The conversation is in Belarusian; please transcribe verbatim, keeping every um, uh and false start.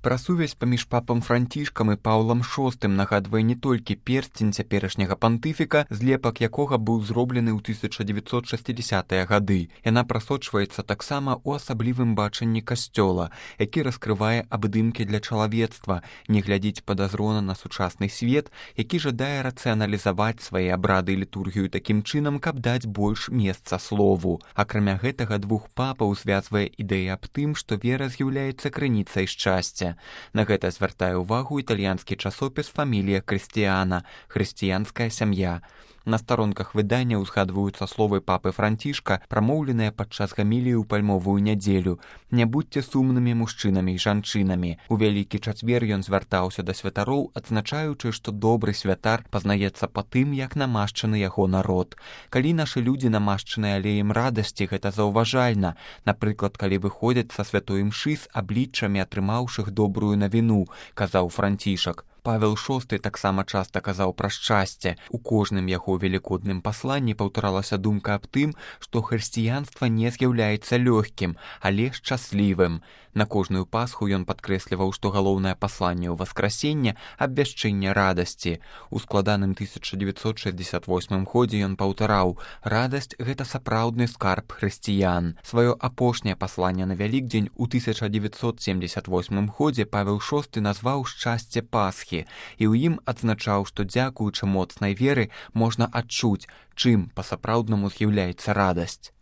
Пра сувязь паміж папам Францішкам і Паўлам шостым нагадвае не толькі персцень цяперашняга пантыфіка, злепак якога быў зроблены ў тысяча дзевяцьсот шэсцідзясятыя гады. Яна прасочваецца таксама ў асаблівым бачанні касцёла, які раскрывае абдымкі для чалавецтва, не глядзіць падазрона на сучасны свет, які жадае рацыяналізаваць свае абрады і літургію такім чынам, каб даць больш месца слову. Акрамя гэтага, двух папаў звязвае ідэя аб тым, што вера з'яўляецца крыніцай шчасця. На гэта звяртае ўвагу італьянскі часопіс «Фамілія Крыстіяна» – «Хрысціянская сям'я». На старонках выдання ўзгадваюцца словы папы Францішка, прамоўленыя падчас гаміліі ў пальмовую нядзелю. «Не будьце сумнымі мужчынамі і жанчынамі». У Вялікі чацвер ён звяртаўся да святароў, адзначаючы, што добры святар пазнаецца па тым, як намашчаны яго народ. Калі нашы людзі намашчаны алеем радасці, гэта заўважальна. Напрыклад, калі выходзяць са святой імшы з абліччамі атрымаўшых добрую навіну, казаў Францішак. Павел шосты таксама часта казаў пра шчасце. У кожным яго велікодным пасланні паўтаралася думка аб тым, што хрысціянства не з'яўляецца лёгкім, але шчаслівым. На кожную пасху ён падкрэсліваў, што галоўнае пасланне ў васкрасення – абвяшчэнне радасці. У складаным тысяча дзевяцьсот шэсцьдзясят восьмым годзе ён паўтараў: «Радасць – гэта сапраўдны скарб хрысціян». Сваё апошняе пасланне на Вялікдзень у тысяча дзевяцьсот семдзесят восьмым годзе Павел шосты назваў «Шчасце Пасхі», і ў ім адзначаў, што дзякуючы моцнай веры можна адчуць, чым па-сапраўднаму з'яўляецца радасць.